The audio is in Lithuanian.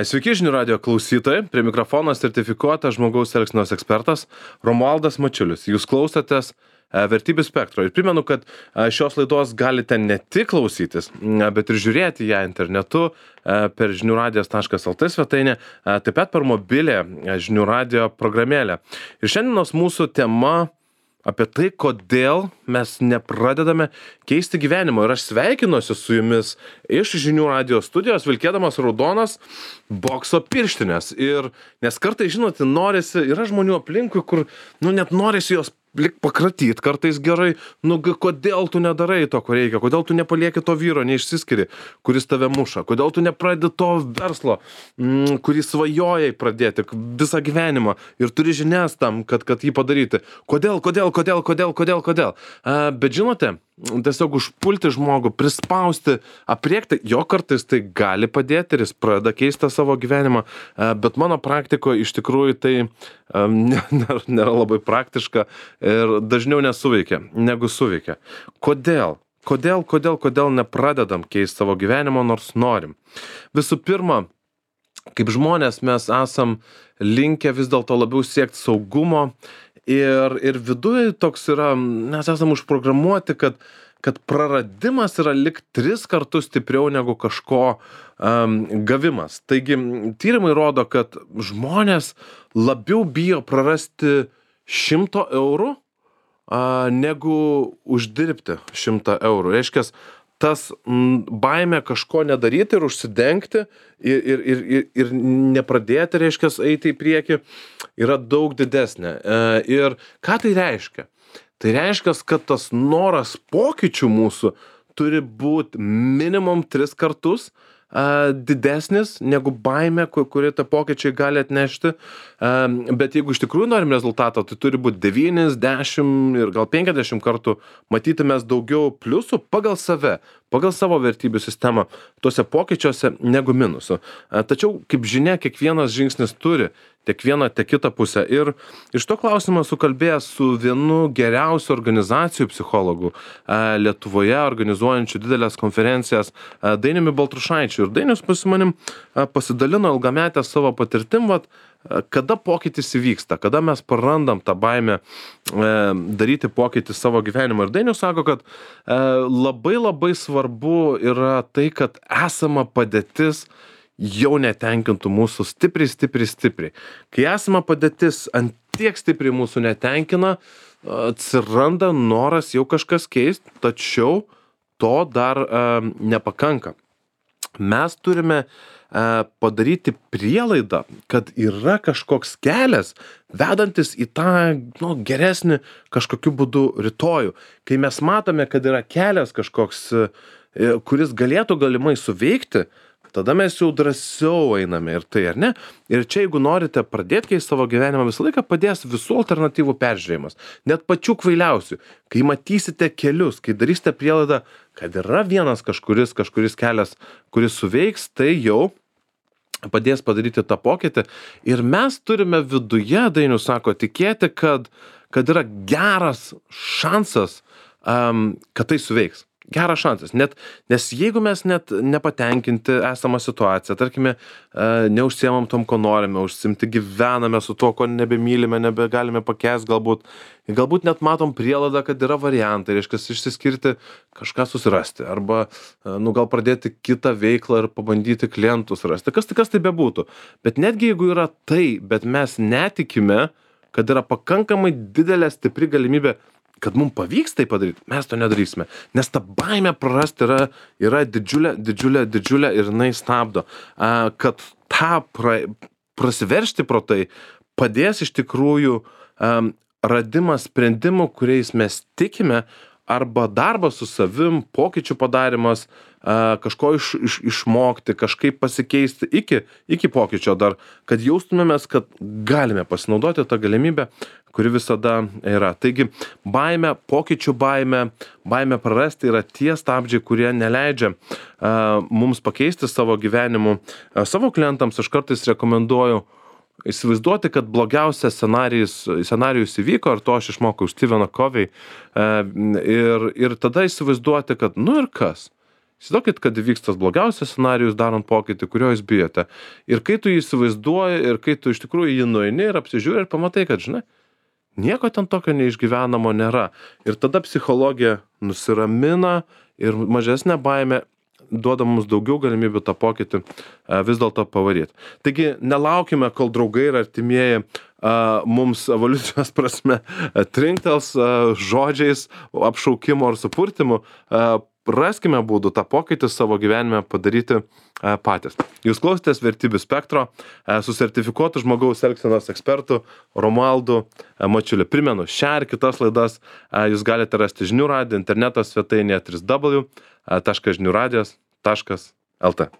Sveiki žinių radijo klausytojai, prie mikrofono sertifikuotas žmogaus elgsenos ekspertas Romualdas Mačiulis. Jūs klausotės Vertybių spektro. Ir primenu, kad šios laidos galite ne tik klausytis, bet ir žiūrėti ją internetu per žiniųradijas.lt svetainę, taip pat per mobilę žinių radijo programėlę. Ir šiandienos mūsų tema apie tai, kodėl mes nepradedame keisti gyvenimo. Ir aš sveikinuosi su jumis iš žinių radijo studijos, vilkėdamas raudonas bokso pirštinės. Ir nes kartais, žinote, norisi, yra žmonių aplinkui, kur, net norisi jos pakratyt, kartais gerai, kodėl tu nedarai to, ko reikia, kodėl tu nepalieki to vyro, neišsiskiri, kuris tave muša, kodėl tu nepradedi to verslo, kurį svajojai pradėti visą gyvenimą ir turi žinias tam, kad jį padaryti. Kodėl? Bet žinote, tiesiog užpulti žmogų, prispausti, apriekti, jo kartais tai gali padėti ir jis pradeda keisti savo gyvenimą, bet mano praktikoje iš tikrųjų tai nėra labai praktiška ir dažniau nesuveikia, negu suveikia. Kodėl nepradedam keisti savo gyvenimo, nors norim? Visų pirma, kaip žmonės mes esam linkę vis dėlto labiau siekti saugumo ir viduje toks yra, mes esam užprogramuoti, kad praradimas yra lyg 3 kartus stipriau negu kažko gavimas. Taigi, tyrimai rodo, kad žmonės labiau bijo prarasti 100 eurų, negu uždirbti 100 eurų. Reiškia, tas baimė kažko nedaryti ir užsidengti ir nepradėti, reiškia, eiti į priekį, yra daug didesnė. Ir ką tai reiškia? Tai reiškia, kad tas noras pokyčių mūsų turi būti minimum 3 kartus didesnis negu baimė, kuri tą pokyčiai gali atnešti. Bet jeigu iš tikrųjų norim rezultato, tai turi būti 9, 10 ir gal 50 kartų matyti mes daugiau pliusų pagal save, pagal savo vertybių sistemą tuose pokyčiuose negu minusų. Tačiau, kaip žinia, kiekvienas žingsnis turi tiek vieną, tiek kitą pusę. Ir iš to klausimą sukalbėjęs su vienu geriausių organizacijų psichologų Lietuvoje, organizuojančių didelės konferencijas, Dainiumi Baltrušaičiu. Ir Dainius su manim pasidalino ilgametę savo patirtim, kada pokytis įvyksta, kada mes prarandam tą baimę daryti pokytį savo gyvenimą. Ir Dainius sako, kad labai svarbu yra tai, kad esama padėtis jau netenkintų mūsų stipriai. Kai esama padėtis ant tiek stipriai mūsų netenkina, atsiranda noras jau kažkas keisti, tačiau to dar nepakanka. Mes turime padaryti prielaidą, kad yra kažkoks kelias, vedantis į tą geresnį kažkokiu būdu rytojų. Kai mes matome, kad yra kelias kažkoks, kuris galėtų galimai suveikti, tada mes jau drąsiau einame ir tai, ar ne? Ir čia, jeigu norite pradėti keisti savo gyvenimą, visą laiką padės visų alternatyvų peržiūrėjimas. Net pačių kvailiausių. Kai matysite kelius, kai darysite prielaidą, kad yra vienas kažkuris kelias, kuris suveiks, tai jau padės padaryti tą pokytį. Ir mes turime viduje, Dainius sako, tikėti, kad yra geras šansas, kad tai suveiks. Geras šansas, nes jeigu mes net nepatenkinti esamą situaciją, tarkime, neužsiemam tom, ko norime užsiimti, gyvename su tuo, ko nebemylime, nebegalime pakęsti, galbūt net matom prielaidą, kad yra variantai, reiškia, išsiskirti, kažką susirasti, arba gal pradėti kitą veiklą ir pabandyti klientus rasti, kas tai bebūtų. Bet netgi jeigu yra tai, bet mes netikime, kad yra pakankamai didelė stipri galimybė, kad mums pavyks tai padaryti, mes to nedarysime. Nes ta baimė prarasti yra didžiulė ir jinai stabdo. Kad tą prasiveršti pro tai padės iš tikrųjų radimas sprendimų, kuriais mes tikime, arba darbas su savim, pokyčių padarimas, kažko išmokti, kažkaip pasikeisti iki pokyčio dar, kad jaustumėmės, kad galime pasinaudoti tą galimybę, kuri visada yra. Taigi, pokyčių baimė prarasti yra tie stabdžiai, kurie neleidžia mums pakeisti savo gyvenimu. Savo klientams aš kartais rekomenduoju įsivaizduoti, kad blogiausias scenarijus įvyko, ar to aš išmokau Stephen Covey, ir tada įsivaizduoti, kad ir kas. Įsivaizduokit, kad įvyks tas blogiausias scenarijus darant pokytį, kurio jūs bijote. Ir kai tu jį įsivaizduoji, ir kai tu iš tikrųjų jį nueini ir apsižiūri ir pamatai, kad, žinai, nieko ten tokio neišgyvenamo nėra. Ir tada psichologija nusiramina ir mažesnė baimė duoda mums daugiau galimybių tą pokytį vis dėlto pavaryti. Taigi nelaukime, kol draugai ir artimieji mums evoliucijos prasme trinktels žodžiais, apšaukimo ar supurtimu. Raskime būdų tą pokytį savo gyvenime padaryti patys. Jūs klausėtės Vertybių spektro su sertifikuotu žmogaus elgsenos ekspertu Romualdu Mačiuliu. Primenu, šią ir kitas laidas jūs galite rasti žinių radijo interneto svetainėje www.žiniuradijas.lt.